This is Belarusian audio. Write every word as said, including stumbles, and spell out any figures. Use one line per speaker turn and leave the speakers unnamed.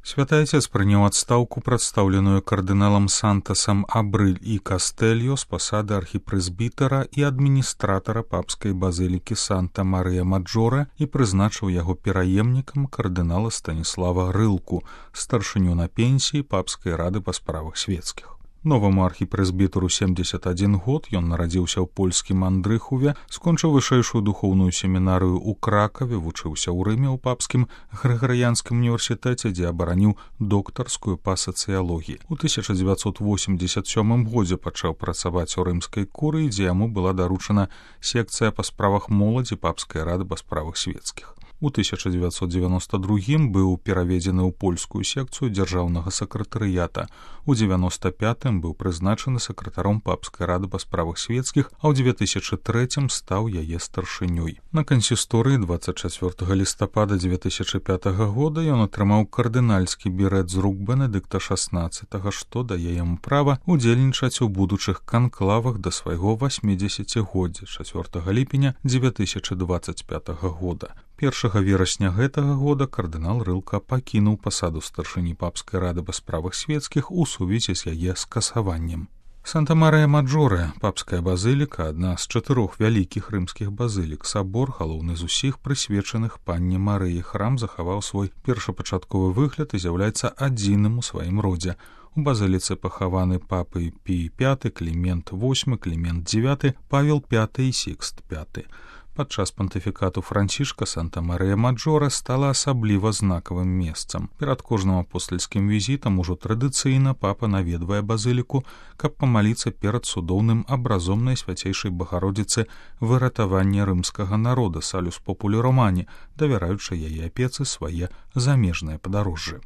Святы Отец прыняў адстаўку, прадстаўленую кардыналам Сантасам Абрыль і Кастэльо з пасады архіпрэзбітара і адміністратара папскай базылікі Санта-Марыя-Маджоре і прызначыў яго пераемнікам кардынала Станіслава Рылку, старшыню на пенсіі папскай рады па справах свецкіх. Новаму архіпрэзбітару семьдесят адзін год, ён нарадзіўся ў польскім Андрыхуве, скончыў вышэйшую духоўную семінарыю ў Кракаве, вучыўся ў Рыме ў папскім Грыгарыянскім універсітэце, дзе абараніў доктарскую па сацыялогіі. У тысяча дзевяцьсот восемьдесят сёмым годзе пачаў працаваць у рымскай курыі, дзе яму была даручана секцыя па справах моладзі папскай рады па справах свецкіх. У тысяча дзевяцьсот девяносто другім быў пераведзены ў польскую секцыю дзяржаўнага сакратарыята. У девяносто пятым быў прызначаны сакратаром папскай рады па справах свецкіх, а ў две тысячы трэцім стаў яе старшынёй. На кансісторыі двадцать чацвёртага лістапада две тысячы пятага года ён атрымаў кардынальскі бірэт з рук Бенедыкта шаснаццатага, што дае яму права удзельнічаць у будучых канклавах да свайго васьмідзесяцігоддзя чацвёртага ліпеня две тысячы двадцать пятага года. першага верасня гэтага года кардынал Рылка пакінуў пасаду старшыні папскай рады па справах свецкіх у сувязі з яе скасаваннем. Санта-Марыя-Маджоре, папская базыліка, адна з чатырох вялікіх рымскіх базылік. Сабор, галоўны з усіх, прысвечаных панне Марыі. Храм захаваў свой першапачатковы выгляд і з'яўляецца адзіным у сваім родзе. У базыліцы пахаваны папы Пій пяты, Клімент восьмы, Клімент дзевяты, Павел пяты і Сікст пяты. Падчас пантыфікату Францішка Санта-Марыя-Маджоре стала асабліва знакавым месцам. Перад кожным апостальскім візітам ужо традыцыйна папа наведвае базыліку, каб памаліцца перад цудоўным абразом Найсвяцейшай Багародзіцы выратавання рымскага народа, Салюс Популі Романі, давяраючы яе апецы свае замежныя падарожжы.